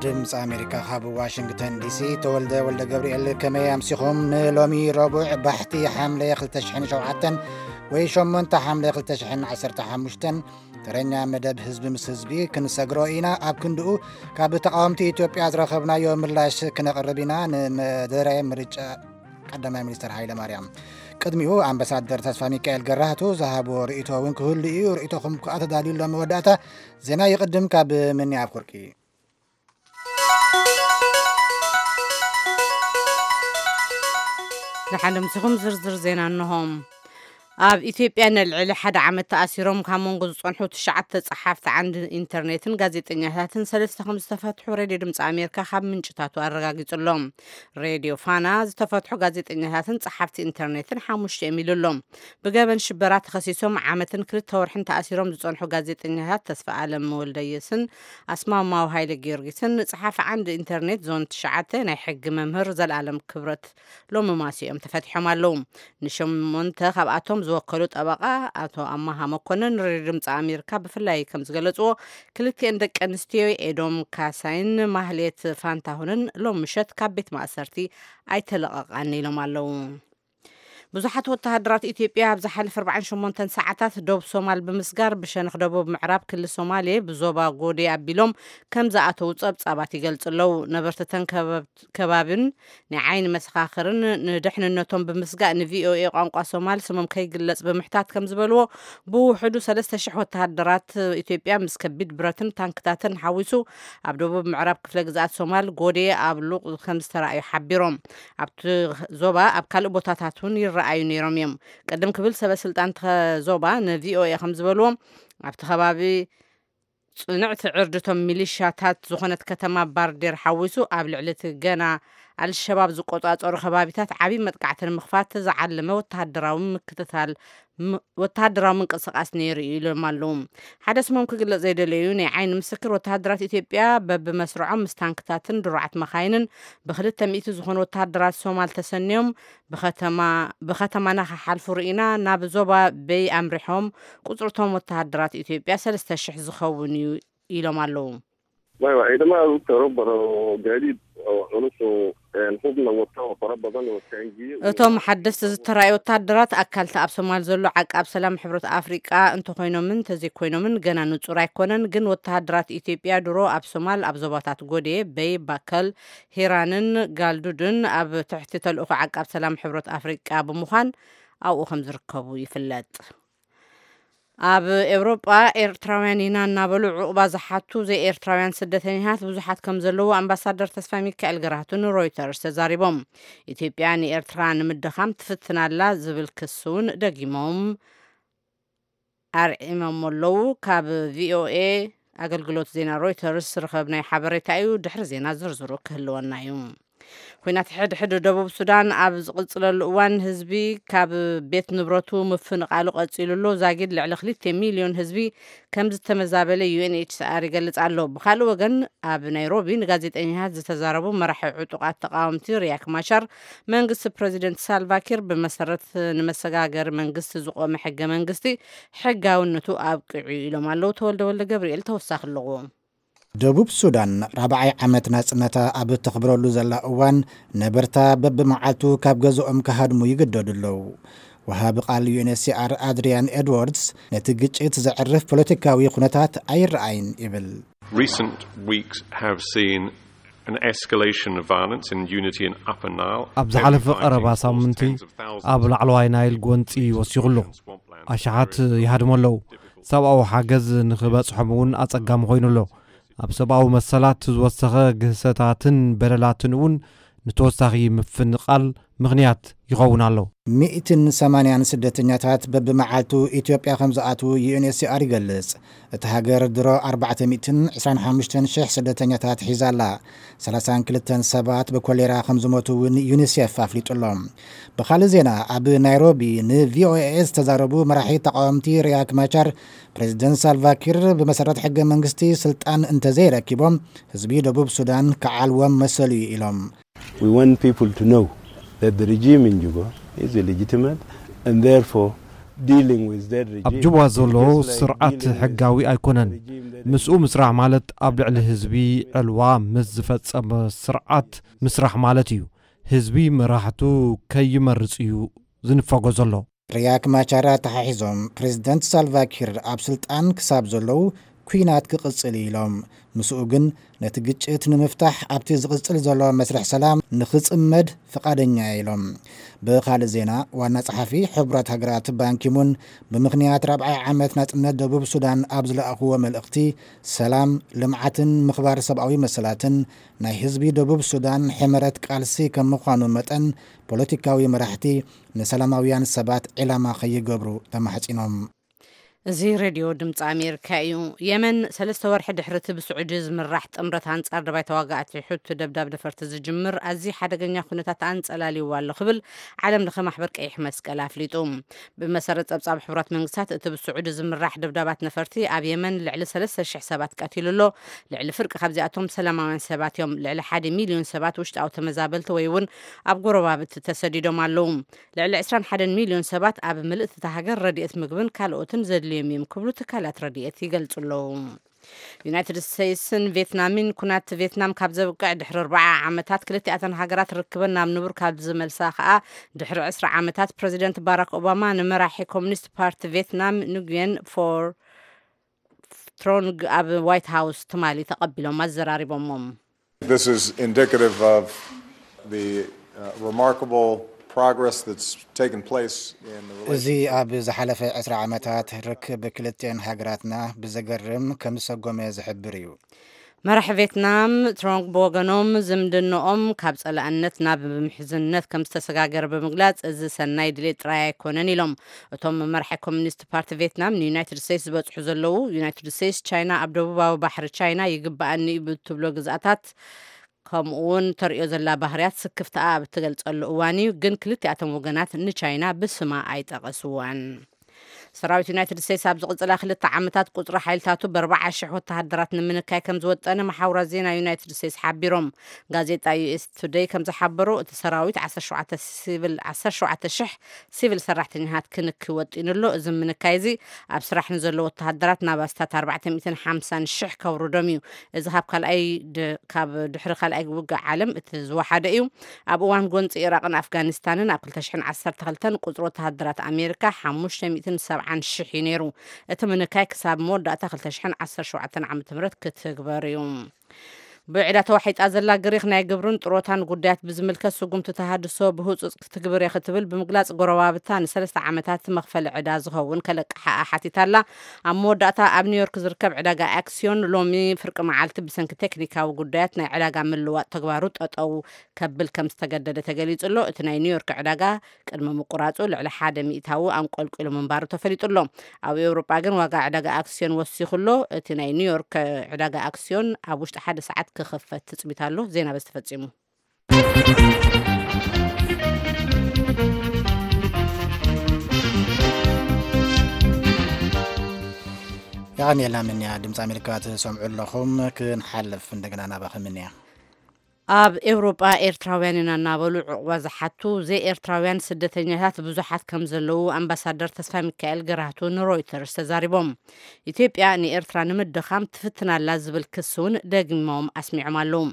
ድምፂ ኣሜሪካ ካብ ዋሽንግተን ዲሲ። ተወልደ ወልደ ገብርኤል፣ ከመይ ኣምሲኹም? ንሎሚ ረቡዕ ባሕቲ ሓምለ ክልተ ሽሕን ሸውዓተን ወይ ሸሞንተ ሓምለ ክልተ ሽሕን ዓሰርተ ሓሙሽተን ተረኛ መደብ ህዝቢ ምስ ህዝቢ ክንሰግሮ ኢና። ኣብ ክንድኡ ካብ ተቃወምቲ ኢትዮጵያ ዝረኸብናዮ ምላሽ ክነቕርብ ኢና። ንመደረ ምርጫ ቀዳማይ ሚኒስትር ሃይለ ማርያም። ቅድሚኡ ኣምባሳደር ተስፋ ሚካኤል ገራህቱ ዝሃቦ ርእይቶ እውን ክህሉ እዩ። ርእይቶኹም ከኣ ተዳልዩ ኣሎ። መወዳእታ ዜና ይቕድም። ካብ ምኒ ኣፍወርቂ። ደሓን ምሲኹም። ዝርዝር ዜና እንሆ። ኣብ ኢትዮጵያ ንልዕሊ ሓደ ዓመት ተኣሲሮም ካብ መንጎ ዝጸንሑ ትሽዓተ ጸሓፍቲ ዓንዲ ኢንተርኔትን ጋዜጠኛታትን ሰለስተ ከም ዝተፈትሑ ሬድዮ ድምፂ ኣሜሪካ ካብ ምንጭታቱ ኣረጋጊጹ ኣሎ። ሬድዮ ፋና ዝተፈትሑ ጋዜጠኛታትን ጸሓፍቲ ኢንተርኔትን ሓሙሽተ እዮም ኢሉ ኣሎ። ብገበን ሽበራ ተኸሲሶም ዓመትን ክልተ ወርሕን ተኣሲሮም ዝጸንሑ ጋዜጠኛታት ተስፋ ኣለም ወልደየስን ኣስማማው ሃይለ ጊዮርጊስን ጸሓፊ ዓንዲ ኢንተርኔት ዞን ትሽዓተ ናይ ሕጊ መምህር ዘልኣለም ክብረት ሎሚ ማስኦም ተፈቲሖም ኣለዉ። ንሸሞንተ ካብኣቶም ዝወከሉ ጠበቓ ኣቶ ኣማሃ መኮንን ንሬድዮ ድምፂ ኣሜሪካ ብፍላይ ከም ዝገለፅዎ፣ ክልቲኤን ደቂ ኣንስትዮ ኤዶም ካሳይን ማህሌት ፋንታሁንን ሎም ምሸት ካብ ቤት ማእሰርቲ ኣይተለቐቓን ኢሎም ኣለዉ። ብዙሓት ወተሃደራት ኢትዮጵያ ኣብ ዝሓለፈ ኣርባዓን ሸሞንተን ሰዓታት ዶብ ሶማል ብምስጋር ብሸነኽ ደቡብ ምዕራብ ክልል ሶማሌ ብዞባ ጎዴ ኣቢሎም ከም ዝኣተዉ ጸብጻባት ይገልጹ ኣለዉ። ነበርቲ ተን ከባብ-፣ ከባብን ናይ ዓይኒ መሰኻኽርን ንድሕንነቶም ብምስጋእ ንቪኦኤ ቋንቋ ሶማል ስሞም ከይግለጽ ብምሕታት ከም ዝበልዎ፣ ብውሕዱ ሰለስተ ሽሕ ወተሃደራት ኢትዮጵያ ምስ ከቢድ ብረትን ታንክታትን ሓዊሱ ኣብ ደቡብ ምዕራብ ክፍለ ግዝኣት ሶማል ጎዴ ኣብ ሉቕ ከም ዝተራእዩ ሓቢሮም። ኣብቲ ዞባ ኣብ ካልእ ቦታታት እውን ይረኣዩ ነይሮም እዮም። ቅድም ክብል ሰበ ስልጣን እቲ ዞባ ንቪኦኤ ከም ዝበልዎ፣ ኣብቲ ከባቢ ጽንዕቲ ዕርድቶም ሚሊሻታት ዝኾነት ከተማ ባርዴር ሓዊሱ ኣብ ልዕሊ እቲ ገና ኣልሸባብ ዝቆጻጸሩ ከባቢታት ዓብዪ መጥቃዕቲ ንምኽፋት ዝዓለመ ወተሃደራዊ ምክትታል ም-፣ ወተሃደራዊ ምንቅስቓስ ነይሩ እዩ ኢሎም ኣለዉ። ሓደ ስሞም ክግለጽ ዘይደለዩ ናይ ዓይኒ ምስክር፣ ወተሃደራት ኢትዮጵያ በብመስርዖም ምስ ታንክታትን ድሩዓት መኻይንን ብክልተ ሚእቲ ዝኾኑ ወተሃደራት ሶማል ተሰንዮም ብኸተማ፣ ብኸተማና ክሓልፉ ርኢና፣ ናብ ዞባ በይ ኣምሪሖም፣ ቁጽርቶም ወተሃደራት ኢትዮጵያ ሰለስተ ሽሕ ዝኸውን እዩ ኢሎም ኣለዉ። Baiwa, ciidamo aad u tiro badan oo gaadiid oo culus oo, een, hubna wata oo fara badan oo taangiye iyo እቶም ሓደስቲ ዝተራእዩ ወታደራት ኣካልቲ ኣብ ሶማል ዘሎ ዓቃብ ሰላም ሕብረት ኣፍሪቃ እንተኾይኖምን እንተዘይኮይኖምን ገና ንጹር ኣይኮነን። ግን ወተሃደራት ኢትዮጵያ ድሮ ኣብ ሶማል ኣብ ዞባታት ጎዴ፣ በይ፣ ባከል፣ ሂራንን ጋልዱድን ኣብ ትሕቲ ተልእኾ ዓቃብ ሰላም ሕብረት ኣፍሪቃ ብምዃን ኣብኡ ከም ዝርከቡ ይፍለጥ። ኣብ ኤውሮጳ ኤርትራውያን ኢና እናበሉ ዑቕባ ዝሓቱ ዘይኤርትራውያን ስደተኛታት ብዙሓት ከም ዘለዉ ኣምባሳደር ተስፋ ሚካኤል ገራህቱ ንሮይተርስ ተዛሪቦም። ኢትዮጵያ ንኤርትራ ንምድኻም ትፍትን ኣላ ዝብል ክሲ እውን ደጊሞም ኣርዒሞም ኣለዉ። ካብ ቪኦኤ ኣገልግሎት ዜና ሮይተርስ ዝረኸብናዮ ሓበሬታ እዩ። ድሕሪ ዜና ዝርዝሩ ክህልወና እዩ። ኲናት ሕድሕድ ደቡብ ሱዳን ኣብ ዝቕጽለሉ እዋን፣ ህዝቢ ካብ ቤት ንብረቱ ምፍንቓሉ ቀጺሉ ኣሎ። ዛጊድ ልዕሊ ክልተ ሚልዮን ህዝቢ ከም ዝተመዛበለ ዩ ኤን ኤች ሲ ኣር ይገልጽ ኣሎ። ብኻልእ ወገን፣ ኣብ ናይሮቢ ንጋዜጠኛታት ዝተዛረቡ መራሒ ዕጡቓት ተቓወምቲ ሪያክ ማቻር፣ መንግስቲ ፕረዚደንት ሳልቫኪር ብመሰረት ንመሰጋገሪ መንግስቲ ዝቖመ ሕገ መንግስቲ ሕጋውነቱ ኣብቂዑ ኢሎም ኣለዉ። ተወልደ ወልደ ገብርኤል ተወሳኺ ኣለዎ። ደቡብ ሱዳን ራብዓይ ዓመት ናጽነታ ኣብ እተኽብረሉ ዘላ እዋን፣ ነበርታ በብመዓልቱ ካብ ገዝኦም ክሃድሙ ይግደዱ ኣለዉ። ወሃቢ ቃል ዩ ኤን ኤች ሲ ኣር ኣድሪያን ኤድዋርድስ፣ ነቲ ግጭት ዘዕርፍ ፖለቲካዊ ኩነታት ኣይረኣይን ይብል። Recent weeks have seen an escalation of violence in Unity and Upper Nile. ኣብ ዝሓለፈ ቀረባ ሳምንቲ ኣብ ላዕለዋይ ናይል ጎንጺ ወሲኹ ኣሎ። ኣሽሓት ይሃድሙ ኣለዉ። ሰብኣዊ ሓገዝ ንኽበጽሖም እውን ኣጸጋሚ ኮይኑ ኣሎ። ኣብ ሰብኣዊ መሰላት ዝወሰኸ ግህሰታትን በደላትን እውን ንተወሳኺ ምፍንቓል ምኽንያት ይኸውን ኣሎ። ሚእትን ሰማንያን ስደተኛታት በብመዓልቱ ኢትዮጵያ ከም ዝኣትዉ ዩ ኤን ኤች ሲ ኣር ይገልጽ። እታ ሃገር ድሮ ኣርባዕተ ሚእትን ዕስራን ሓሙሽተን ሽሕ ስደተኛታት ሒዛ ኣላ። ሰላሳን ክልተን ሰባት ብኮሌራ ከም ዝሞቱ እውን ዩኒሴፍ ኣፍሊጡ ኣሎ። ብኻልእ ዜና፣ ኣብ ናይሮቢ ን ቪ ኦ ኤ ዝተዛረቡ መራሒ ተቃወምቲ ሪያክ ማቻር፣ ፕሬዚደንት ሳልቫኪር ብመሰረት ሕገ መንግስቲ ስልጣን እንተዘይረኪቦም፣ ህዝቢ ደቡብ ሱዳን ክዓልዎም መሰሉ እዩ ኢሎም። We want people to know that the regime in Juba is illegitimate and therefore ኣብ ጁባ ዘሎ ስርዓት ሕጋዊ ኣይኮነን። ምስኡ ምስራሕ ማለት ኣብ ልዕሊ ህዝቢ ዕልዋ ምስ ዝፈጸመ ስርዓት ምስራሕ ማለት እዩ። ህዝቢ መራሕቱ ከይመርጽ እዩ ዝንፈጎ ዘሎ። ሪያክ ማቻር ኣተሓሒዞም፣ ፕሬዝደንት ሳልቫኪር ኣብ ስልጣን ክሳብ ዘለዉ ኲናት ክቕጽል እዩ ኢሎም። ምስኡ ግን ነቲ ግጭት ንምፍታሕ ኣብቲ ዝቕጽል ዘሎ መስርሕ ሰላም ንኽጽመድ ፍቓደኛ እየ ኢሎም። ብኻልእ ዜና፣ ዋና ጸሓፊ ሕቡራት ሃገራት ባንኪሙን ብምኽንያት ራብዓይ ዓመት ናጽነት ደቡብ ሱዳን ኣብ ዝለኣኽዎ መልእኽቲ፣ ሰላም፣ ልምዓትን ምኽባር ሰብኣዊ መሰላትን ናይ ህዝቢ ደቡብ ሱዳን ሕመረት ቃልሲ ከም ምዃኑ መጠን፣ ፖለቲካዊ መራሕቲ ንሰላማውያን ሰባት ዒላማ ከይገብሩ ተማሕጺኖም። እዚ ሬድዮ ድምፂ ኣሜሪካ እዩ። የመን ሰለስተ ወርሒ ድሕሪ እቲ ብስዑዲ ዝምራሕ ጥምረት ኣንጻር ደባይ ተዋጋእቲ ሑቲ ደብዳብ ነፈርቲ ዝጅምር ኣዝዩ ሓደገኛ ኩነታት ኣንጸላልይዋ ኣሎ ክብል ዓለም ለኸ ማሕበር ቀይሕ መስቀል ኣፍሊጡ። ብመሰረት ጸብጻብ ሕቡራት መንግስታት፣ እቲ ብስዑዲ ዝምራሕ ደብዳባት ነፈርቲ ኣብ የመን ልዕሊ ሰለስተ ሽሕ ሰባት ቀቲሉ ኣሎ። ልዕሊ ፍርቂ ካብዚኣቶም ሰላማውያን ሰባት እዮም። ልዕሊ ሓደ ሚልዮን ሰባት ውሽጣዊ ተመዛበልቲ ወይ እውን ኣብ ጎረባብቲ ተሰዲዶም ኣለዉ። ልዕሊ ዕስራን ሓደን ሚልዮን ሰባት ኣብ ምልእቲ እታ ሃገር ረድኤት ምግብን ካልኦትን ዘድልዮም እዮም ክብሉ ትካላት ረድኤት ይገልጹ ኣለዉ። ዩናይትድ ስቴትስን ቬትናምን ኩናት ቬትናም ካብ ዘብቅዕ ድሕሪ ኣርባዓ ዓመታት፣ ክልቲኣተን ሃገራት ርክበን ናብ ንቡር ካብ ዝመልሳ ከኣ ድሕሪ ዕስራ ዓመታት፣ ፕረዚደንት ባራክ ኦባማ ንመራሒ ኮሙኒስት ፓርቲ ቬትናም ንጉየን ፎር ትሮንግ ኣብ ዋይት ሃውስ ትማሊ ተቐቢሎም ኣዘራሪቦሞም። This is indicative of the uh, remarkable progress that's taken place in the እዚ relationship. ኣብ ዝሓለፈ ዕስራ ዓመታት ርክብ ክልቲኤን ሃገራትና ብዘገርም ከም ዝሰጎመ ዝሕብር እዩ። መራሒ ቬትናም ትሮንግ ብወገኖም፣ ዝምድንኦም ካብ ጸላእነት ናብ ምሕዝነት ከም ዝተሰጋገረ ብምግላጽ፣ እዚ ሰናይ ድሌት ጥራይ ኣይኮነን ኢሎም። እቶም መራሒ ኮሚኒስት ፓርቲ ቬትናም ንዩናይትድ ስቴትስ ዝበጽሑ ዘለዉ፣ ዩናይትድ ስቴትስ ቻይና ኣብ ደቡባዊ ባሕሪ ቻይና ይግብኣኒ እዩ ብትብሎ ግዝኣታት፣ ከምኡ እውን ተርእዮ ዘላ ባህርያት ስክፍታኣ ኣብ እትገልጸሉ እዋን እዩ። ግን ክልቲኣቶም ወገናት ንቻይና ብስማ ኣይጠቐስዋን። ሰራዊት ዩናይትድ ስቴትስ ኣብ ዝቕጽላ ክልተ ዓመታት ቁጽሪ ሓይልታቱ ብኣርባዓ ሽሕ ወተሃደራት ንምንካይ ከም ዝወጠነ መሓውራት ዜና ዩናይትድ ስቴትስ ሓቢሮም። ጋዜጣ ዩ ኤስ ቱደይ ከም ዝሓበሮ፣ እቲ ሰራዊት ዓሰርተ ሸውዓተ ሲቪል፣ ዓሰርተ ሸውዓተ ሽሕ ሲቪል ሰራሕተኛታት ክንኪ ወጢኑ ኣሎ። እዚ ምንካይ እዚ ኣብ ስራሕ ንዘለዉ ወተሃደራት ናብ ኣስታት ኣርባዕተ ሚእትን ሓምሳን ሽሕ ከውርዶም እዩ። እዚ ካብ ካልኣይ ድ-፣ ካብ ድሕሪ ካልኣይ ውግእ ዓለም እቲ ዝወሓደ እዩ። ኣብ እዋን ጎንፂ ኢራቕን ኣፍጋኒስታንን ኣብ ክልተ ሽሕን ዓሰርተ ክልተን ቁፅሪ ወተሃደራት ኣሜሪካ ሓሙሽተ ሚእትን ሰብዓን ሽሕ እዩ ነይሩ። እቲ ምንካይ ክሳብ መወዳእታ ክልተ ሽሕን ዓሰርተ ሸውዓተን ዓመተ ምህረት ክትግበር እዩ። ብዕዳ ተዋሒጣ ዘላ ግሪኽ ናይ ግብርን ጥሮታን ጉዳያት ብዝምልከት ስጉምቲ ተሃድሶ ብህጹጽ ክትግብር እየ ክትብል ብምግላጽ፣ ጎረባብታ ንሰለስተ ዓመታት መኽፈሊ ዕዳ ዝኸውን ከለቅሓኣ ሓቲታ ኣላ። ኣብ መወዳእታ ኣብ ኒውዮርክ ዝርከብ ዕዳጋ ኣክስዮን ሎሚ ፍርቂ መዓልቲ ብሰንኪ ቴክኒካዊ ጉዳያት ናይ ዕዳጋ ምልዋጥ ተግባሩ ጠጠው ከብል ከም ዝተገደደ ተገሊጹ ኣሎ። እቲ ናይ ኒውዮርክ ዕዳጋ ቅድሚ ምቁራጹ ልዕሊ ሓደ ሚእታዊ ኣንቆልቂሉ ምንባሩ ተፈሊጡ ኣሎ። ኣብ ኤውሮጳ ግን ዋጋ ዕዳጋ ኣክስዮን ወሲኹ ኣሎ። እቲ ናይ ኒውዮርክ ዕዳጋ ኣክስዮን ኣብ ውሽጢ ሓደ ሰዓት ክኽፈት ትጽቢት ኣሎ። ዜና በዚ ተፈጺሙ። የቐንየልና ምንያ። ድምፂ ኣሜሪካ ትሰምዑ ኣለኹም። ክንሓልፍ እንደገና ናባኺ ምንያ። ኣብ ኤውሮጳ ኤርትራውያን ኢና እናበሉ ዕቑባ ዝሓቱ ዘይኤርትራውያን ስደተኛታት ብዙሓት ከም ዘለዉ ኣምባሳደር ተስፋ ሚካኤል ገራህቱ ንሮይተርስ ተዛሪቦም። ኢትዮጵያ ንኤርትራ ንምድኻም ትፍትን ኣላ ዝብል ክሲ እውን ደጊሞም ኣስሚዖም ኣለዉ።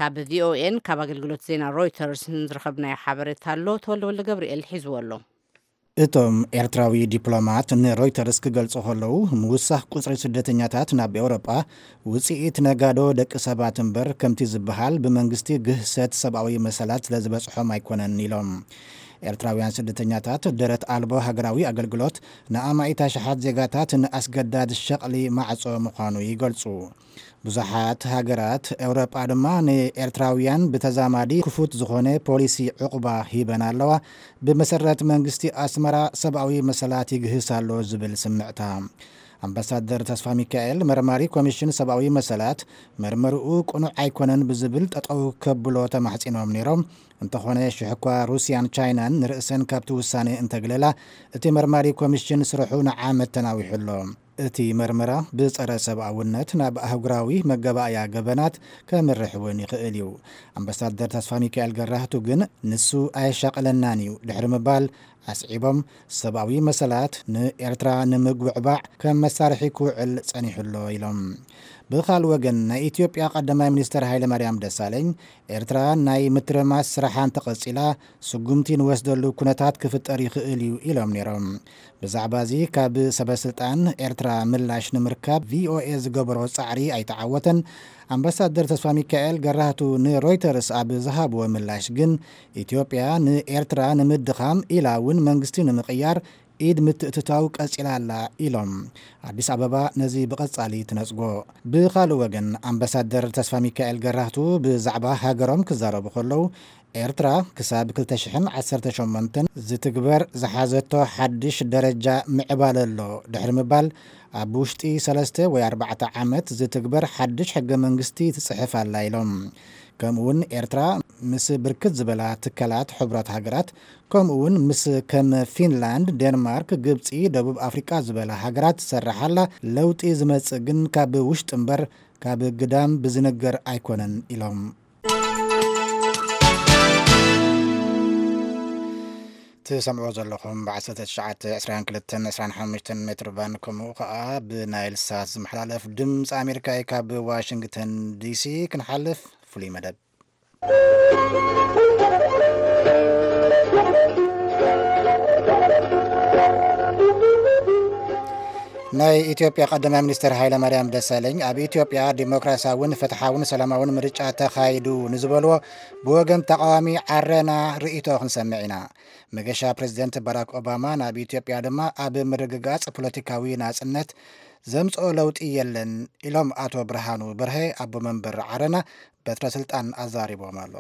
ካብ ቪኦኤን ካብ ኣገልግሎት ዜና ሮይተርስ ዝረኸብናዮ ሓበሬታ ኣሎ፣ ተወልደ ወልደ ገብርኤል ሒዝዎ ኣሎ። እቶም ኤርትራዊ ዲፕሎማት ንሮይተርስ ክገልጹ ከለዉ፣ ምውሳኽ ቁጽሪ ስደተኛታት ናብ ኤውሮጳ ውጽኢት ነጋዶ ደቂ ሰባት እምበር፣ ከምቲ ዝበሃል ብመንግስቲ ግህሰት ሰብኣዊ መሰላት ስለ ዝበጽሖም ኣይኮነን ኢሎም። ኤርትራውያን ስደተኛታት ደረት ኣልቦ ሃገራዊ ኣገልግሎት ንኣማኢት ኣሽሓት ዜጋታት ንኣስገዳድ ሸቕሊ ማዕጾ ምዃኑ ይገልጹ። ብዙሓት ሃገራት ኤውሮጳ ድማ ንኤርትራውያን ብተዛማዲ ክፉት ዝኾነ ፖሊሲ ዕቑባ ሂበን ኣለዋ። ብመሰረት መንግስቲ ኣስመራ ሰብኣዊ መሰላት ይግህስ ኣሎ ዝብል ስምዕታ። ኣምባሳደር ተስፋ ሚካኤል መርማሪ ኮሚሽን ሰብኣዊ መሰላት መርመርኡ ቅኑዕ ኣይኮነን ብዝብል ጠጠው ከብሎ ተማሕጺኖም ነይሮም። እንተኾነ ሽሕ እኳ ሩስያን ቻይናን ንርእሰን ካብቲ ውሳኔ እንተግለላ፣ እቲ መርማሪ ኮሚሽን ስርሑ ንዓመት ተናዊሑ ኣሎ። እቲ መርመራ ብጸረ ሰብኣውነት ናብ ኣህጉራዊ መገባእያ ገበናት ከምርሕ እውን ይኽእል እዩ። ኣምባሳደር ተስፋ ሚካኤል ገራህቱ ግን ንሱ ኣየሻቐለናን እዩ ድሕሪ ምባል ኣስዒቦም፣ ሰብኣዊ መሰላት ንኤርትራ ንምጉዕባዕ ከም መሳርሒ ክውዕል ጸኒሑ ኣሎ ኢሎም። ብኻልእ ወገን ናይ ኢትዮጵያ ቀዳማይ ሚኒስትር ሃይለማርያም ደሳለኝ ኤርትራ ናይ ምትርማስ ስራሓ እንተቐጺላ ስጉምቲ ንወስደሉ ኩነታት ክፍጠር ይኽእል እዩ ኢሎም ነይሮም። ብዛዕባ እዚ ካብ ሰበ ስልጣን ኤርትራ ምላሽ ንምርካብ ቪኦኤ ዝገበሮ ጻዕሪ ኣይተዓወተን። ኣምባሳደር ተስፋ ሚካኤል ገራህቱ ንሮይተርስ ኣብ ዝሃብዎ ምላሽ ግን ኢትዮጵያ ንኤርትራ ንምድኻም ኢላ እውን መንግስቲ ንምቕያር ኢድ ምትእትታው ቀጺላ ኣላ ኢሎም። ኣዲስ ኣበባ ነዚ ብቐጻሊ ትነጽጎ። ብኻልእ ወገን ኣምባሳደር ተስፋ ሚካኤል ገራህቱ ብዛዕባ ሃገሮም ክዛረቡ ከለዉ ኤርትራ ክሳብ ክልተ ሽሕን ዓሰርተ ሸሞንተን ዝትግበር ዝሓዘቶ ሓድሽ ደረጃ ምዕባለ ኣሎ ድሕሪ ምባል ኣብ ውሽጢ ሰለስተ ወይ ኣርባዕተ ዓመት ዝትግበር ሓድሽ ሕገ መንግስቲ ትጽሕፍ ኣላ ኢሎም። ከምኡውን ኤርትራ ምስ ብርክት ዝበላ ትካላት ሕቡራት ሃገራት ከምኡውን ምስ ከም ፊንላንድ፣ ዴንማርክ፣ ግብጺ፣ ደቡብ ኣፍሪቃ ዝበላ ሃገራት ትሰርሕ ኣላ። ለውጢ ዝመጽእ ግን ካብ ውሽጢ እምበር ካብ ግዳም ብዝነገር ኣይኮነን ኢሎም። ትሰምዑ ዘለኹም ብ1922 ሜትር ባንድ ከምኡ ከዓ ብናይል ሳት ዝመሓላለፍ ድምፂ ኣሜሪካ እዩ። ካብ ዋሽንግተን ዲሲ ክንሓልፍ ፍሉይ መደብ። ናይ ኢትዮጵያ ቀዳማይ ሚኒስትር ሃይለ ማርያም ደሳለኝ ኣብ ኢትዮጵያ ዲሞክራሲያውን ፍትሓውን ሰላማውን ምርጫ ተኻይዱ ንዝበልዎ ብወገን ተቃዋሚ ዓረና ርእይቶ ክንሰምዕ ኢና። መገሻ ፕሬዚደንት ባራክ ኦባማ ናብ ኢትዮጵያ ድማ ኣብ ምርግጋጽ ፖለቲካዊ ናጽነት ዘምጽኦ ለውጢ የለን ኢሎም ኣቶ ብርሃኑ በርሀ ኣቦ መንበር ዓረና በትረ ስልጣን ኣዛሪቦም ኣሎ።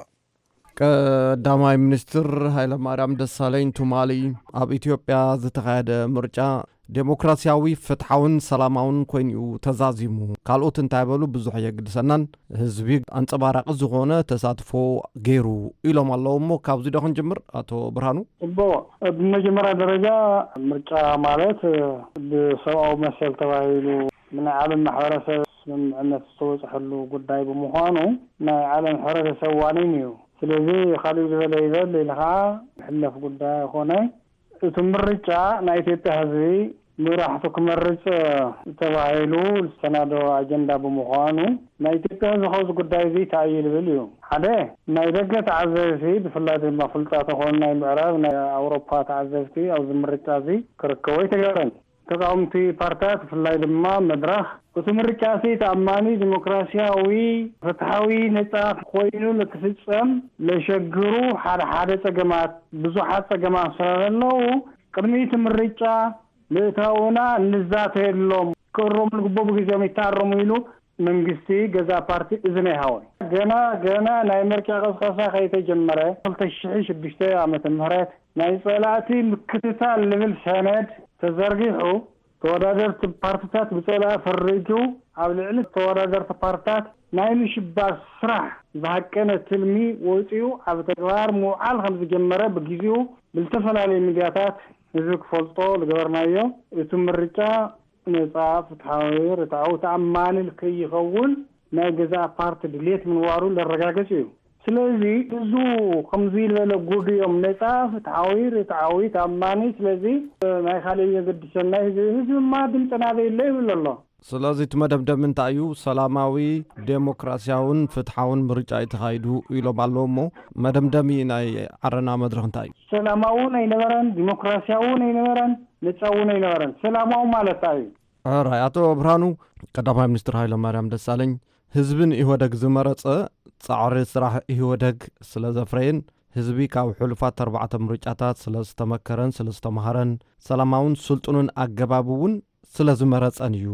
ቀዳማይ ሚኒስትር ሃይለማርያም ደሳለኝ ቱማሊ ኣብ ኢትዮጵያ ዝተኻየደ ምርጫ ዴሞክራሲያዊ፣ ፍትሓውን ሰላማውን ኮይኑ'ዩ ተዛዚሙ። ካልኦት እንታይ በሉ ብዙሕ የግድሰናን፣ ህዝቢ ኣንጸባራቂ ዝኾነ ተሳትፎ ገይሩ ኢሎም ኣለዉ። እሞ ካብዚ ዶ ክንጅምር ኣቶ ብርሃኑ? እቦ፣ ብመጀመርያ ደረጃ ምርጫ ማለት ብሰብኣዊ መሰል ተባሂሉ ናይ ዓለም ማሕበረሰብ ስምምዕነት ዝተበፅሐሉ ጉዳይ ብምዃኑ ናይ ዓለም ሕብረተሰብ ዋኒን እዩ። ስለዚ ካልእ ዝበለ ይበል ኢልኻ ዝሕለፍ ጉዳይ ኣይኮነ። እቲ ምርጫ ናይ ኢትዮጵያ ህዝቢ መራሕቱ ክመርፅ ተባሂሉ ዝተሰናዶ ኣጀንዳ ብምዃኑ ናይ ኢትዮጵያ ህዝቢ ካብዚ ጉዳይ እዚ እንታይ እዩ ዝብል እዩ። ሓደ ናይ ደገ ተዓዘብቲ ብፍላይ ድማ ፍልጣት ዝኾኑ ናይ ምዕራብ ናይ ኣውሮፓ ተዓዘብቲ ኣብዚ ምርጫ እዚ ክርከቡ ኣይተገብረን። ተቃወምቲ ፓርትታት ብፍላይ ድማ መድረኽ እቲ ምርጫ እዚ ተኣማኒ ዲሞክራሲያዊ ፍትሓዊ ነፃ ኮይኑ ንክፍፀም ለሸግሩ ሓደ ሓደ ፀገማት ብዙሓት ፀገማት ስለ ዘለዉ ቅድሚ እቲ ምርጫ ምእታውና ንዛተየሎም ክእረሙ ዝግበቡ ግዜኦም ይተኣረሙ ኢሉ መንግስቲ ገዛ ፓርቲ እዝኒ ኣይሃወን። ገና ገና ናይ ምርጫ ቀስቀሳ ከይተጀመረ ክልተ ሽሕ ሽዱሽተ ዓመተ ምህረት ናይ ጸላእቲ ምክትታል ልብል ሰነድ ተዘርጊሑ ተወዳደርቲ ፓርትታት ብጸላኢ ፈሪጁ ኣብ ልዕሊ ተወዳደርቲ ፓርትታት ናይ ምሽባር ስራሕ ዝሃቀነ ትልሚ ወጺኡ ኣብ ተግባር ምውዓል ከም ዝጀመረ ብግዚኡ ብዝተፈላለዩ ሚድያታት ህዝቢ ክፈልጦ ዝገበርናዮ እቲ ምርጫ ነጻ፣ ፍትሓዊ፣ ርትዓዊ፣ ተኣማኒ ከይኸውን ናይ ገዛእ ፓርቲ ድሌት ምንባሩ ለረጋግጽ እዩ። ስለዚ እዙ ከምዚ ዝበለ ጉድ እዮም ነጻ፣ ፍትሓዊ፣ ርትዓዊ፣ ተኣማኒ። ስለዚ ናይ ካልእ የገድሰና ህዝቢ፣ ህዝቢ ድማ ድምፂ ናበይ ኣሎ ይብል ኣሎ። ስለዚ እቲ መደምደሚ እንታይ እዩ? ሰላማዊ፣ ዴሞክራሲያውን ፍትሓውን ምርጫ እዩ ተኻይዱ ኢሎም ኣለዉ። እሞ መደምደሚ ናይ ዓረና መድረኽ እንታይ እዩ? ሰላማውን ኣይነበረን፣ ዲሞክራሲያውን ኣይነበረን፣ ነጻውን ኣይነበረን። ሰላማዊ ማለት እንታይ እዩ? ሕራይ ኣቶ ብርሃኑ፣ ቀዳማይ ሚኒስትር ሃይለ ማርያም ደሳለኝ ህዝቢ ንኢህወደግ ዝመረጸ ጻዕሪ ስራሕ ኢህወደግ ስለ ዘፍረየን ህዝቢ ካብ ሕሉፋት ኣርባዕተ ምርጫታት ስለ ዝተመከረን ስለ ዝተምሃረን ሰላማውን ስልጡንን ኣገባብ እውን ስለ ዝመረጸን እዩ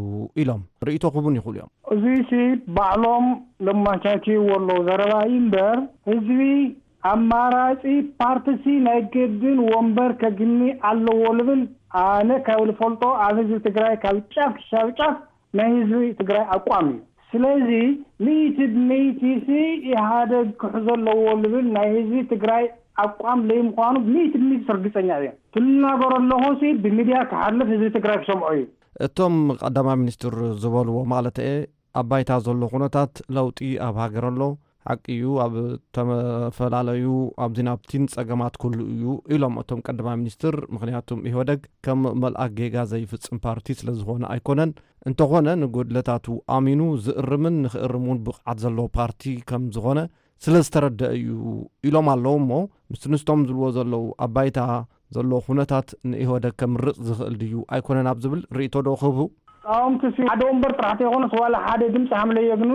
ኢሎም ርእይቶ ክህቡን ይኽእሉ እዮም። እዙይ ሲ ባዕሎም ለማቻችይዎ ኣለዉ ዘረባ እዩ እምበር ህዝቢ ኣማራጺ ፓርቲሲ ናይ ገድን ወንበር ከግኒ ኣለዎ ልብል ኣነ ካብ ልፈልጦ ኣብ ህዝቢ ትግራይ ካብ ጫፍ ክሻብ ጫፍ ናይ ህዝቢ ትግራይ ኣቋም እዩ። ስለዚ ሚእቲ ብሚእቲ ሲ ኢህኣደግ ክሕዞ ኣለዎ ልብል ናይ ህዝቢ ትግራይ ኣቋም ለይምዃኑ ሚእቲ ብሚእቲ ርግፀኛ እየ። ትናገሮ ኣለኹ ሲ ብሚድያ ክሓልፍ ህዝቢ ትግራይ ክሰምዖ እዩ። እቶም ቀዳማይ ሚኒስትር ዝበልዎ ማለት እየ፣ ኣብ ባይታ ዘሎ ኩነታት ለውጢ ኣብ ሃገር ኣሎ። ሓቂ እዩ፣ ኣብ ተፈላለዩ ኣብዚን ኣብቲን ጸገማት ኩሉ እዩ ኢሎም እቶም ቀዳማይ ሚኒስትር። ምኽንያቱም ኢህወደግ ከም መልኣክ ጌጋ ዘይፍጽም ፓርቲ ስለ ዝኾነ ኣይኮነን። እንተኾነ ንጎድለታቱ ኣሚኑ ዝእርምን ንኽእርም እውን ብቕዓት ዘለዎ ፓርቲ ከም ዝኾነ ስለ ዝተረደአ እዩ ኢሎም ኣለዉ። እሞ ምስቲ ንስቶም ዝብልዎ ዘለዉ ኣብ ባይታ ዘሎ ኩነታት ንኢህወደግ ከምርጽ ዝኽእል ድዩ ኣይኮነን ኣብ ዝብል ርእይቶ ዶ ክህቡ? ተቃወምቲ ሲ ሓደ ወንበር ጥራሕ ተይኮነስ ዋላ ሓደ ድምፂ ሃምለየ ግን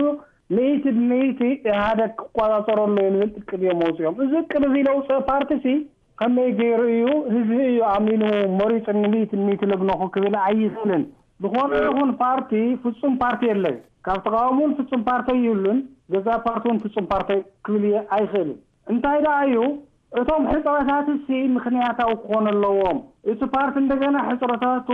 ሚእቲ ብሚእቲ ኢህወደግ ክቆፃፀሮ ኣለዎ ዝብል እቅድ እዮም ኣውፅኦም። እዚ እቅድ እዚ ለውፀ ፓርቲ ሲ ከመይ ገይሩ እዩ ህዝቢ እዩ ኣሚኑ መሪፁ ሚእቲ ብሚእቲ ለግነኹ ክብል ኣይኽእልን። ዝኾነ ይኹን ፓርቲ ፍፁም ፓርቲ የለን። ካብ ተቃወሙን ፍፁም ፓርቲ ይህሉን ገዛ ፓርቲ እውን ፍፁም ፓርቲ ክብል ኣይኽእልን። እንታይ ደኣ እዩ እቶም ሕፅረታት ሲ ምኽንያታዊ ክኾኑ ኣለዎም። እቲ ፓርቲ እንደገና ሕፅረታቱ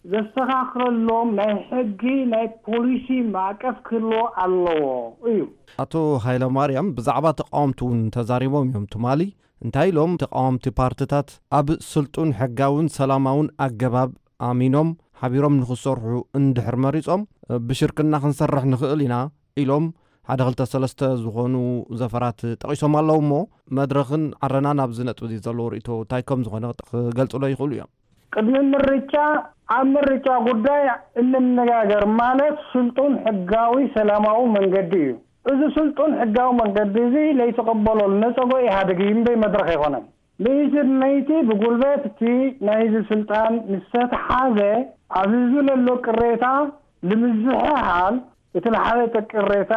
ዘስተኻኽለሎም ናይ ሕጊ ናይ ፖሊሲ ማዕቀፍ ክህልዎ ኣለዎ እዩ። ኣቶ ሃይለ ማርያም ብዛዕባ ተቃወምቲ እውን ተዛሪቦም እዮም ትማሊ። እንታይ ኢሎም? ተቃወምቲ ፓርትታት ኣብ ስልጡን ሕጋውን ሰላማውን ኣገባብ ኣሚኖም ሓቢሮም ንኽሰርሑ እንድሕር መሪጾም ብሽርክና ክንሰርሕ ንኽእል ኢና ኢሎም ሓደ ክልተ ሰለስተ ዝኾኑ ዘፈራት ጠቒሶም ኣለዉ። እሞ መድረኽን ዓረናን ኣብዚ ነጥቢ እዚ ዘለዎ ርእይቶ እንታይ ከም ዝኾነ ክገልጹሎ ይኽእሉ እዮም። ቅድሚ ምርጫ ኣብ ምርጫ ጉዳይ እንነጋገር ማለት ስልጡን ሕጋዊ ሰላማዊ መንገዲ እዩ። እዚ ስልጡን ሕጋዊ መንገዲ እዚ ለይተቐበሎ ነፀጎ ኢህኣደግ እዩ እምበይ መድረኽ ኣይኮነን። ለይቲ ብለይቲ ብጉልበት እቲ ናይ ህዝቢ ስልጣን ምስ ተተሓዘ ኣብ ህዝቢ ለሎ ቅሬታ ንምዝሕሓል እቲ ለሓለጠ ቅሬታ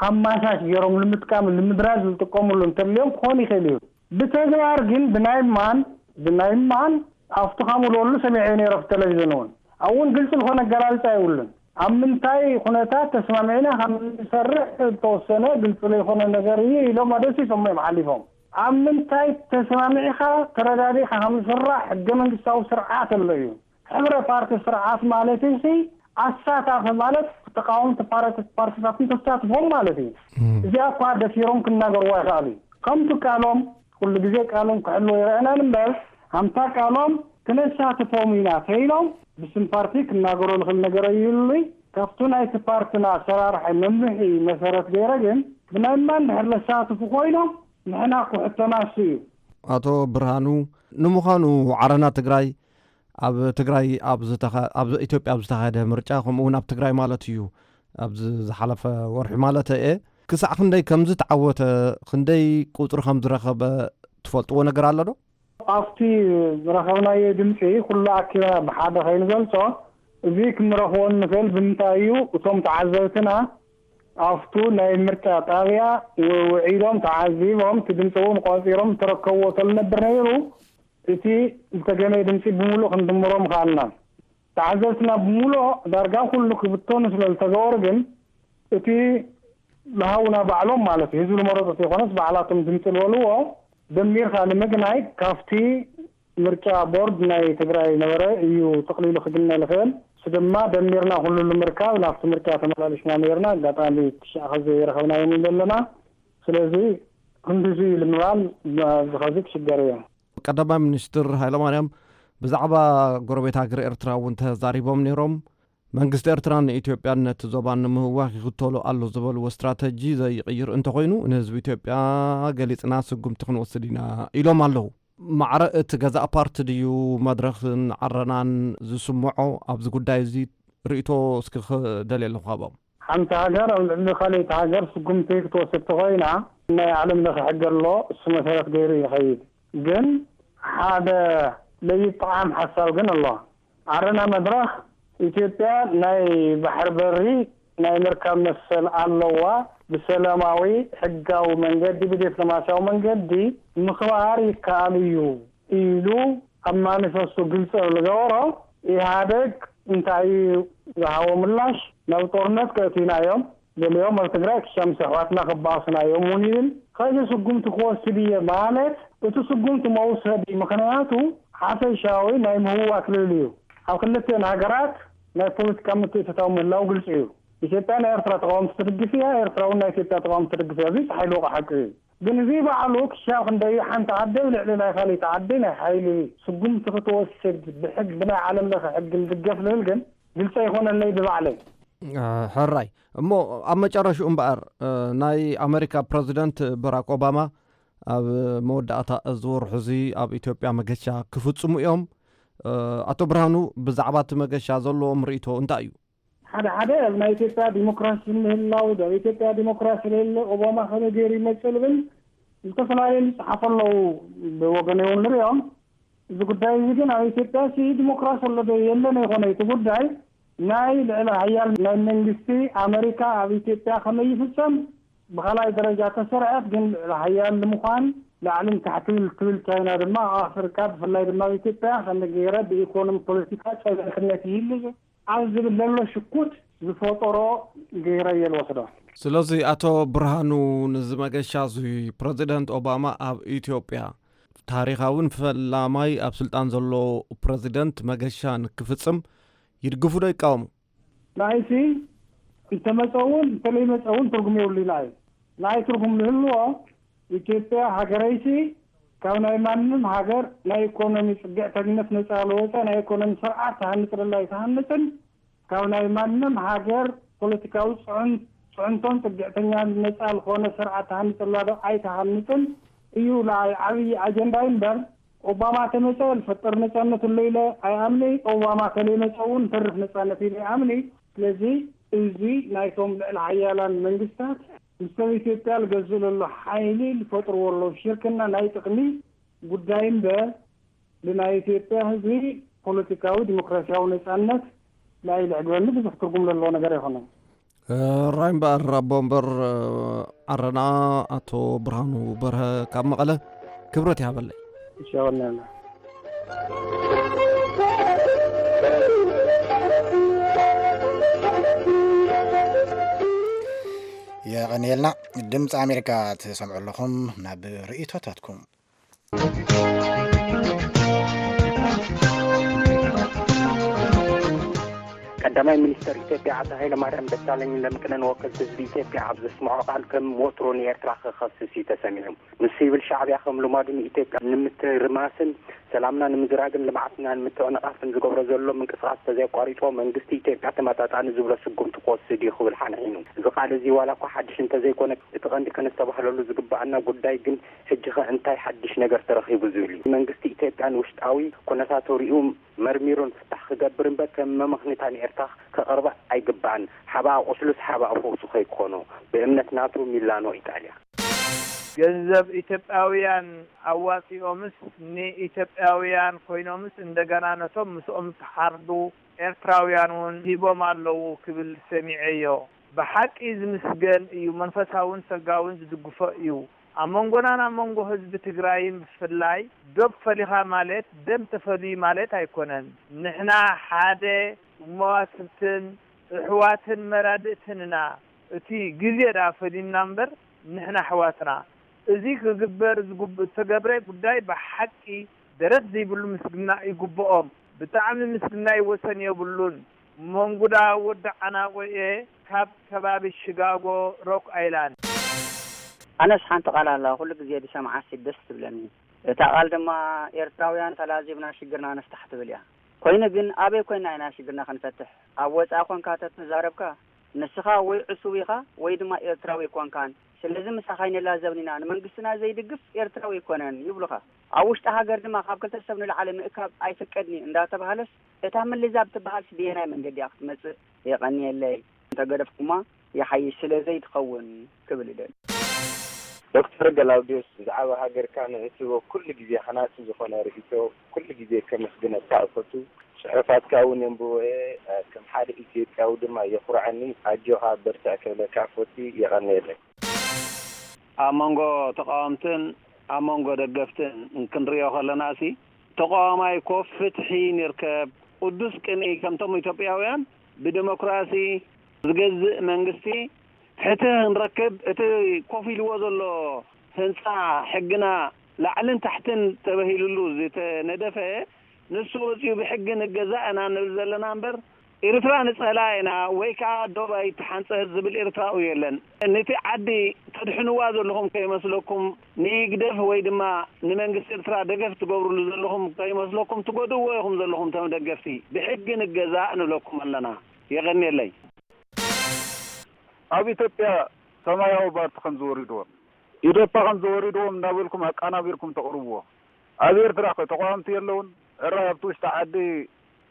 ኣማሻሽ ገይሮም ንምጥቃም ንምድራዝ ዝጥቀምሉ እንተልዮም ክኾን ይኽእል እዩ። ብተግባር ግን ብናይ ማን ብናይ ማን ኣብቲ ካምልወሉ ሰሚዐ ነይረ ኣብ ቴሌቪዥን እውን ኣብውን ግልፂ ዝኾነ ኣገላልፃ የብሉን። ኣብ ምንታይ ኩነታት ተስማሚዕና ከም ንሰርሕ ዝተወሰነ ግልፂ ዘይኮነ ነገር እዩ ኢሎም ኣደሲሶም እዮም ሓሊፎም። ኣብ ምንታይ ተስማሚዕኻ ተረዳዲእካ ከም ዝስራሕ ሕገ መንግስታዊ ስርዓት ኣሎ እዩ። ሕብረ ፓርቲ ስርዓት ማለት እዚ ኣሳታፊ ማለት ተቃወምቲ ፓርቲ ፓርቲታትን ተሳትፎም ማለት እዩ። እዚኣ እኳ ደፊሮም ክናገርዋ ይኽኣሉ እዩ። ከምቲ ቃሎም ኩሉ ግዜ ቃሎም ክሕልዎ ይረአናን እምበር ኣምታ ቃሎም ክነሳትፎም ኢና ተይሎም ብስም ፓርቲ ክናገሮ ዝኽእል ነገር ኣይህሉይ። ካብቲ ናይቲ ፓርትና ኣሰራርሐ መምርሒ መሰረት ገይረ ግን ብናይ ማን ድሕር ለሳትፉ ኮይኖም ንሕና ክሕተናሱ እዩ። ኣቶ ብርሃኑ፣ ንምዃኑ ዓረና ትግራይ ኣብ ትግራይ ኣብ ዝተኸ- ኣብ ኢትዮጵያ ኣብ ዝተኻየደ ምርጫ ከምኡ እውን ኣብ ትግራይ ማለት እዩ ኣብዚ ዝሓለፈ ወርሒ ማለት እየ ክሳዕ ክንደይ ከም ዝተዓወተ ክንደይ ቁፅሪ ከም ዝረኸበ ትፈልጥዎ ነገር ኣሎ ዶ? ኣብቲ ዝረኸብናዮ ድምፂ ኩሉ ኣኪብና ብሓደ ከይንገልፆ እዚ ክንረኽቦ እንኽእል ብምንታይ እዩ? እቶም ተዓዘብትና ኣብቱ ናይ ምርጫ ጣብያ ውዒሎም ተዓዚቦም እቲ ድምፂ እውን ቆፂሮም ዝተረከብዎ ተልነብር ነይሩ። እቲ ዝተገመየ ድምፂ ብምሉእ ክንድምሮም ከኣልና። ተዓዘብትና ብምሉእ ዳርጋ ኩሉ ክብተኑ ስለ ዝተገበሩ ግን እቲ ዝሃውና ባዕሎም ማለት እዩ ህዝቢ ዝመረፁ ዘይኮነስ ባዕላቶም ድምፂ ዝበልዎ ደሚርካ ንምግናይ ካብቲ ምርጫ ቦርድ ናይ ትግራይ ነበረ እዩ ተቕሊሉ ክግነ ዝኽእል። እሱ ድማ ደሚርና ኩሉ ንምርካብ ናብቲ ምርጫ ተመላሊስና ነይርና ኣጋጣሚ ትሽዓ ከዚ ይረኸብናዮም ዘለና። ስለዚ ክንድዚ እዩ ንምባል ዝኸዚ ክሽገር እዮ። ቀዳማይ ሚኒስትር ሃይለማርያም ብዛዕባ ጎረቤት ሃገር ኤርትራ እውን ተዛሪቦም ነይሮም። መንግስቲ ኤርትራ ንኢትዮጵያን ነቲ ዞባን ንምህዋኽ ይኽተሎ ኣሎ ዝበልዎ ስትራተጂ ዘይቕይር እንተኾይኑ ንህዝቢ ኢትዮጵያ ገሊጽና ስጉምቲ ክንወስድ ኢና ኢሎም ኣለዉ። ማዕረ እቲ ገዛእ ፓርቲ ድዩ መድረኽን ዓረናን ዝስምዖ ኣብዚ ጉዳይ እዚ ርእይቶ እስኪ ክደልየ ኣለኹ ካብኦም። ሓንቲ ሃገር ኣብ ልዕሊ ካልኣይቲ ሃገር ስጉምቲ ክትወስድ ተኾይና ናይ ዓለም ለኸ ሕጊ ኣሎ፣ እሱ መሰረት ገይሩ ይኸይድ። ግን ሓደ ለይጠዓም ሓሳብ ግን ኣሎ። ዓረና መድረኽ ኢትዮጵያ ናይ ባሕሪ በሪ ናይ ምርካብ መሰል ኣለዋ፣ ብሰላማዊ ሕጋዊ መንገዲ ብዲፕሎማሲያዊ መንገዲ ምኽባር ይከኣል እዩ ኢሉ ኣብ ማኒፈስቶ ግልፂ ዝገበሮ ኢህኣደግ እንታይ እዩ ዝሃቦ ምላሽ? ናብ ጦርነት ከእትዩና እዮም፣ ገሊኦም ኣብ ትግራይ ክሻምስ ኣሕዋትና ክበኣሱና እዮም እውን ይብል። ከዚ ስጉምቲ ክወስድ እየ ማለት እቲ ስጉምቲ መውሰዲ ምኽንያቱ ሓፈሻዊ ናይ ምህዋክ ልዕሊ እዩ። ኣብ ክልቲኦን ሃገራት ናይ ፖለቲካ ምትእትታው ምህላው ግልፂ እዩ። ኢትዮጵያ ናይ ኤርትራ ተቃወምቲ ትድግፍ እያ፣ ኤርትራ እውን ናይ ኢትዮጵያ ተቃወምቲ ትድግፍ እያ። እዚ ሓይሊ ወቂ ሓቂ እዩ። ግን እዚ ባዕሉ ክሻብ ክንደዩ ሓንቲ ዓዲ ኣብ ልዕሊ ናይ ካልእቲ ዓዲ ናይ ሓይሊ ስጉምቲ ክትወስድ ብሕግ ብናይ ዓለም ለኸ ሕግ ዝድገፍ ዝብል ግን ግልፂ ኣይኮነለይ ብባዕለይ። ሕራይ እሞ ኣብ መጨረሽኡ እምበኣር ናይ ኣመሪካ ፕረዚደንት በራክ ኦባማ ኣብ መወዳእታ እዚ ወርሑ እዚ ኣብ ኢትዮጵያ መገሻ ክፍጽሙ እዮም። ኣቶ ብርሃኑ፣ ብዛዕባ እቲ መገሻ ዘለዎም ርእይቶ እንታይ እዩ? ሓደ ሓደ ኣብ ናይ ኢትዮጵያ ዲሞክራሲ ምህላው ኣብ ኢትዮጵያ ዲሞክራሲ ለለ ኦባማ ከመይ ገይሩ ይመፅእ ዝብል ዝተፈላለዩ ዝፅሓፉ ኣለዉ። ብወገን እውን ንሪኦም። እዚ ጉዳይ እዚ ግን ኣብ ኢትዮጵያ ሲ ዲሞክራሲ ኣሎ ዶ የለን ኣይኮነ እቲ ጉዳይ ናይ ልዕሊ ሃያል ናይ መንግስቲ ኣመሪካ ኣብ ኢትዮጵያ ከመይ ይፍፀም ብኻልኣይ ደረጃ ተሰርዐት ግን ልዕሊ ሃያል ንምዃን ላዕልን ታሕትን ትብል ቻይና ድማ ኣብ ኣፍሪካ ብፍላይ ድማ ኣብ ኢትዮጵያ ከመይ ገይረ ብኢኮኖሚ ፖለቲካ ፀላትነት ይህሉ ኣብ ዝብል ዘሎ ሽኩት ዝፈጠሮ ገይረ እየ ዝወስዶ። ስለዚ ኣቶ ብርሃኑ፣ ንዚ መገሻ እዚ ፕረዚደንት ኦባማ ኣብ ኢትዮጵያ ታሪኻውን ፈላማይ ኣብ ስልጣን ዘሎ ፕረዚደንት መገሻ ንክፍጽም ይድግፉ ዶ ይቃወሙ? ንዓይሲ እንተመፀ እውን እንተለይመፀ እውን ትርጉም የብሉ ኢላ እዩ። ንዓይ ትርጉም ዝህልዎ ኢትዮጵያ ሃገረይሲ ካብ ናይ ማንም ሃገር ናይ ኢኮኖሚ ፅግዕተኝነት ነፃ ለወፀ ናይ ኢኮኖሚ ስርዓት ትሃንፅለላ ኣይትሃንፅን፣ ካብ ናይ ማንም ሃገር ፖለቲካዊ ፅዕን-፣ ፅዕንቶን ፅግዕተኛን ነፃ ዝኾነ ስርዓት ትሃንፅላ ዶ ኣይትሃንፅን እዩ ንዓይ ዓብዪ ኣጀንዳይ እምበር ኦባማ ተመፀ ልፈጥር ነፃነት ኣሎ ኢለ ኣይኣምኒ። ኦባማ ከለይመፀ እውን ተርፍ ነፃነት ኢለ ኣይኣምኒ። ስለዚ እዚ ናይቶም ልዕሊ ሓያላን መንግስታት ምስ ሰብ ኢትዮጵያ ዝገዝእ ዘሎ ሓይሊ ዝፈጥርዎ ኣለዉ ሽርክና ናይ ጥቕሚ ጉዳይ እምበር ንናይ ኢትዮጵያ ህዝቢ ፖለቲካዊ ዲሞክራሲያዊ ነፃነት ናይ ልዕግበኒ ብዙሕ ትርጉም ዘለዎ ነገር ኣይኮነን። ራይ እምበኣር ኣቦ ወንበር ዓረና ኣቶ ብርሃኑ በርሀ ካብ መቐለ ክብረት ይሃበለይ። ይሻወናና። የቐንየልና። ድምፂ ኣሜሪካ ትሰምዑ ኣለኹም። ናብ ርእይቶታትኩም። ቀዳማይ ሚኒስተር ኢትዮጵያ ኣቶ ሃይለማርያም ደሳለኝ ለምቅነ ንወከልቲ ህዝቢ ኢትዮጵያ ኣብ ዘስምዖ ቃል ከም ወትሩ ንኤርትራ ክኸስስ እዩ ተሰሚዑ። ንሱ ይብል ሻዕብያ ከም ልማዱ ንኢትዮጵያ ንምትርማስን ሰላምና ንምዝራግን ልምዓትና ንምትዕንቓፍን ዝገብሮ ዘሎ ምንቅስቓስ ተዘይቋሪጾ መንግስቲ ኢትዮጵያ ተመጣጣኒ ዝብሎ ስጉምቲ ክወስድ እዩ ክብል ሓንሒኑ። እዚ ቃል እዚ ዋላ እኳ ሓድሽ እንተዘይኮነ እቲ ቀንዲ ከነስተባህለሉ ዝግባኣና ጉዳይ ግን ሕጂ ኸ እንታይ ሓድሽ ነገር ተረኺቡ ዝብል እዩ። መንግስቲ ኢትዮጵያ ንውሽጣዊ ኩነታቱ ሪኡ መርሚሩ ንፍታሕ ክገብር እምበር ከም መመኽኒታ ንኤርትራ ከቕርባ ኣይግባእን። ሓባኣ ቁስሉስ ሓባኣ ፈውሱ ከይኮኖ ብእምነት ናቱ ሚላኖ ኢጣልያ። ገንዘብ ኢትዮጵያውያን ኣዋፂኦምስ ንኢትዮጵያውያን ኮይኖምስ እንደገና ነቶም ምስኦም ዝሓርዱ ኤርትራውያን እውን ሂቦም ኣለዉ ክብል ሰሚዐዮ። ብሓቂ ዝምስገን እዩ፣ መንፈሳውን ሰጋውን ዝድግፎ እዩ። ኣብ መንጎናን ኣብ መንጎ ህዝቢ ትግራይን ብፍላይ ዶብ ፈሊኻ ማለት ደም ተፈልዩ ማለት ኣይኮነን። ንሕና ሓደ መዋስብትን እሕዋትን መራድእትን ኢና። እቲ ግዜ ደኣ ፈሊዩና እምበር ንሕና ኣሕዋትና። እዚ ክግበር ዝግብ-፣ ዝተገብረ ጉዳይ ብሓቂ ደረት ዘይብሉ ምስግና ይግብኦም። ብጣዕሚ ምስግናይ ወሰን የብሉን። መንጉዳ ወዲ ዓናቆ እየ ካብ ከባቢ ሽጋጎ ሮክ ኣይላንድ። ኣነስ ሓንቲ ቃል ኣላ ኩሉ ግዜ ዝሰምዓሲ ደስ ትብለኒ። እታ ቃል ድማ ኤርትራውያን ተላዚብና ሽግርና ንፍታሕ ትብል እያ። ኮይኑ ግን ኣበይ ኮይና ኢና ሽግርና ክንፈትሕ? ኣብ ወጻኢ ኮንካ ተተዛረብካ ንስኻ ወይ ዕሱብ ኢኻ ወይ ድማ ኤርትራዊ ኣይኮንካን። ስለዚ ምሳኻ ኣይንላዘብን ኢና። ንመንግስትና ዘይድግፍ ኤርትራዊ ኣይኮነን ይብሉኻ። ኣብ ውሽጢ ሃገር ድማ ካብ ክልተ ሰብ ንላዕሊ ምእካብ ኣይፍቀድን እዩ እንዳተባሃለስ እታ ምልዛብ ትበሃልስ ብየናይ መንገዲ እያ ክትመጽእ? የቐንየለይ። እንተገደፍኩማ ይሓይሽ ስለ ዘይትኸውን ክብል እደሊ። ዶክተር ገላውዲዮስ ብዛዕባ ሃገርካ ንእትህቦ ኩሉ ግዜ ሃናጺ ዝኾነ ርእይቶ ኩሉ ግዜ ከመስግነካ እፈቱ። ጽሑፋትካ እውን የንብቦ እየ፣ ከም ሓደ ኢትዮጵያዊ ድማ የኹርዓኒ። ኣጆኻ በርትዕ ክብለካ እፈቱ። የቐንየለይ። ኣብ መንጎ ተቓወምትን ኣብ መንጎ ደገፍትን ክንሪኦ ከለናሲ ተቓዋማይ ኮፍ ፍትሒ ንርከብ ቅዱስ ቅንኢ ከምቶም ኢትዮጵያውያን ብዲሞክራሲ ዝገዝእ መንግስቲ ፍትህ ክንረክብ እቲ ኮፍ ኢልዎ ዘሎ ህንፃ ሕግና ላዕልን ታሕትን ተበሂልሉ ዝተነደፈ ንሱ ወፂኡ ብሕጊ ንገዛእ ኢና ንብል ዘለና እምበር ኤርትራ ንጸላኢና ወይ ከኣ ዶብ ኣይትሓንጸጽ ዝብል ኤርትራዊ የለን። ነቲ ዓዲ ተድሕንዋ ዘለኹም ከይመስለኩም፣ ንህግደፍ ወይ ድማ ንመንግስቲ ኤርትራ ደገፍ ትገብርሉ ዘለኹም ከይመስለኩም፣ ትጎድእዎ ኢኹም ዘለኹም። ተም ደገፍቲ ብሕጊ ንገዛእ ንብለኩም ኣለና። የቐንየለይ። ኣብ ኢትዮጵያ ሰማያዊ ፓርቲ ከም ዝወሪድዎም፣ ኢዴፓ ከም ዝወሪድዎም እናበልኩም ኣቃናቢርኩም ተቕርብዎ። ኣብ ኤርትራ ከ ተቃወምቲ የለውን? ሕራይ ኣብቲ ውሽጢ ዓዲ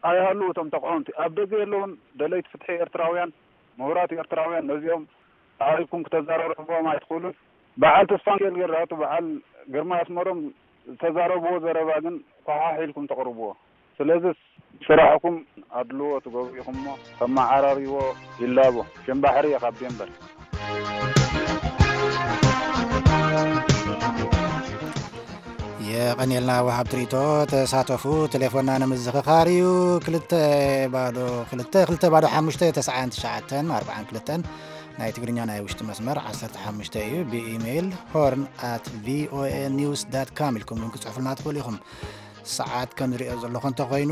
ኣይሃልዉ እቶም ተቃወምቲ። ኣብ ደገ የለውን? ደለይቲ ፍትሒ ኤርትራውያን፣ ምሁራት ኤርትራውያን፣ ነዚኦም ኣዕሪኩም ክተዛራርሕዎም ኣይትኽእሉን? በዓል ተስፋሚካኤል ገራቱ፣ በዓል ግርማ ኣስመሮም ዝተዛረብዎ ዘረባ ግን ኳሓሕ ኢልኩም ተቕርብዎ። ስለዚስ ስራሕኩም ኣድልዎ ትገብሩ ኢኹምሞ፣ ተመዓራርይዎ ይላቦ። ሽም ባሕሪ እየ ካብ ዴንቨር። የቐንየልና ወሃብቲ ርኢቶ። ተሳተፉ። ቴሌፎንና ንምዝኽኻር እዩ። ክልተ ባዶ ክልተ፣ ክልተ ባዶ ሓሙሽተ፣ ተስዓን ትሽዓተን ኣርባዓን ክልተን። ናይ ትግርኛ ናይ ውሽጢ መስመር ዓሰርተ ሓሙሽተ እዩ። ብኢሜይል ሆርን ኣት ቪኦኤ ኒውስ ዳት ካም ኢልኩም እውን ክጽሕፉልና ትኽእሉ ኢኹም። ሰዓት ከም ዝሪኦ ዘለኹ እንተኾይኑ፣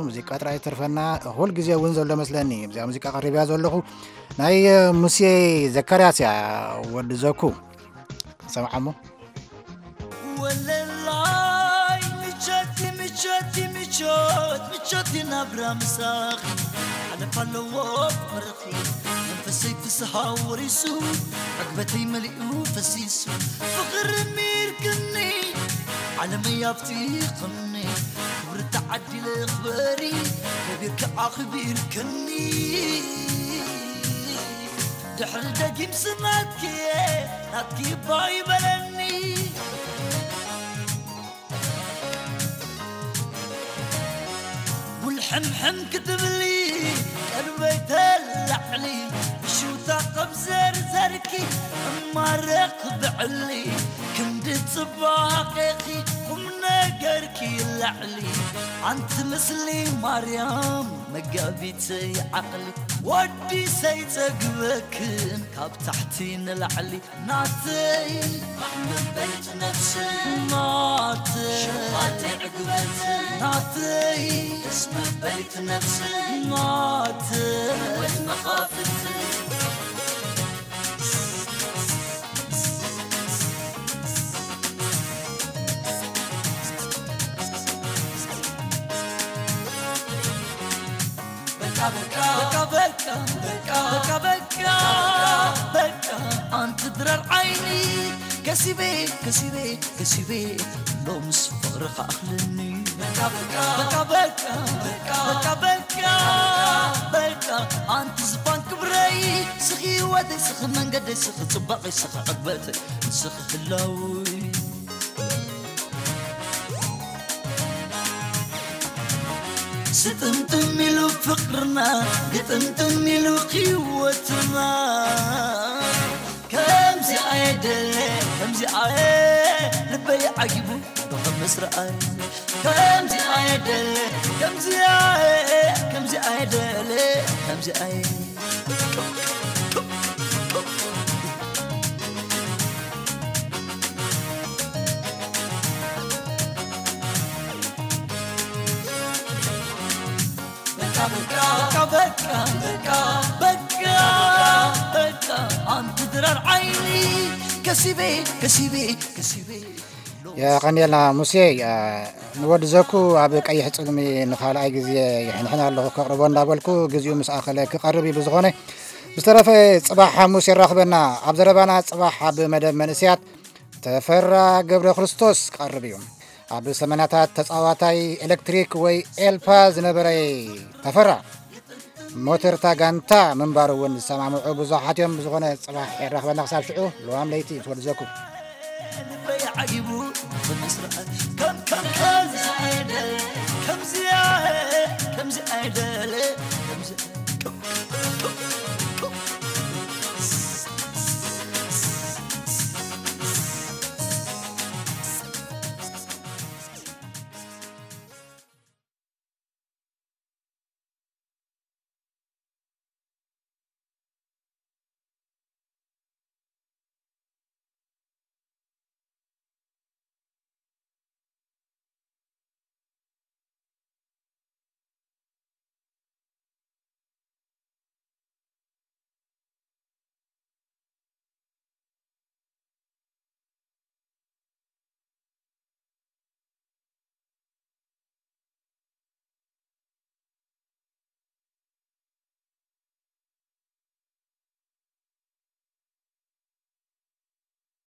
ሙዚቃ ጥራይ ተርፈና። ኩል ግዜ እውን ዘሎ መስለኒ። እዚኣ ሙዚቃ ቀሪብያ ዘለኹ ናይ ሙሴ ዘካርያስ እያ፣ ወዲ ዘኩ። ሰምዓሞ። ወለላይ ምቸት ምቸት ምቸት ምቸት ናብራ ምሳኺ ሓለፍ ኣለዎ ፍቕርኺ መንፈሰይ ፍስሃ ወሪሱ ዕግበተይ መሊኡ ፈሲሱ ፍቕሪ ሚርክኒ ዓለመይ ኣብቲኽኒ ክብሪ ተዓዲለ ክበሪ ከቢርኪ ኣኽቢርክኒ ድሕሪ ደጊም ስናትኪ ናትኪ ባይ በለኒ ውልሕምሕም ክትብሊ ቀልበይ ተላዕሊ ብሽውታ ኸብ ዘርዘርኪ እማረኽ ብዕሊ ክንዲ ጽባቐኺ ቁም ነገርኪ ላዕሊ ኣንቲ ምስሊ ማርያም መጋቢተይ ዓቕሊ ወዲ ሰይጸግበክን ካብ ታሕቲ ንላዕሊ ናተይ ኣሕመበይት ነፍሲ ናተይ ሸፋተይ ዕግበት ናተይ ደስ መበይት ነፍሲ ናተይ ወት መኻፍት በቃ በቃ በቃ በቃ በቃ በቃ በቃ ኣንቲ ድራር ዓይኒ ከሲበ ከሲበ ከሲበ ሎምስ ፍቕሪ ከኣኽለኒ በቃ በቃ በቃ በቃ በቃ በቃ ኣንቲ ዝፋን ክብረይ ስኺ ህይወተይ ስኺ መንገደይ ስኺ ጽባቐይ ስኺ ዕግበተይ ስኺ ህላወይ ስጥምጥም ኢሉ ፍቕርና ግጥምጥም ኢሉ ህይወትና ከምዚ ኣየደለ ከምዚ ኣየ ልበይ ዓጊቡ ብኸምስ ረኣይ ከምዚ ኣየደለ ከምዚ ኣየ ከምዚ ኣየደለ ከምዚ ኣየ በቃ በቃ በቃ በቃ በቃ በቃ ኣንቲ ድራር ዓይኒ ከሲበ ከሲበ ከሲበ የቐንየልና ሙሴ። ንወዲ ዘኩ ኣብ ቀይሕ ጽልሚ ንኻልኣይ ግዜ ይሕንሕን ኣለኹ፣ ከቕርቦ እንዳበልኩ ግዜኡ ምስ ኣኸለ ክቐርብ እዩ። ብዝኾነ ብዝተረፈ ጽባሕ ሓሙስ የራኽበና። ኣብ ዘረባና ጽባሕ ኣብ መደብ መንእስያት ተፈራ ገብረ ክርስቶስ ክቐርብ እዩ። ኣብ ሰመናታት ተጻዋታይ ኤሌክትሪክ ወይ ኤልፓ ዝነበረ ተፈራ ሞተርታ ጋንታ ምንባሩ እውን ዝሰማምዑ ብዙሓት እዮም። ብዝኾነ ጽባሕ የራኽበና። ክሳብ ሽዑ ልዋም ለይቲ ትወድዘኩም። ልበይ ዓጊቡ ብምስራሕ ከም ከም ከምዚ ኣይደለ ከምዚ ከምዚ ኣይደለ ከምዚ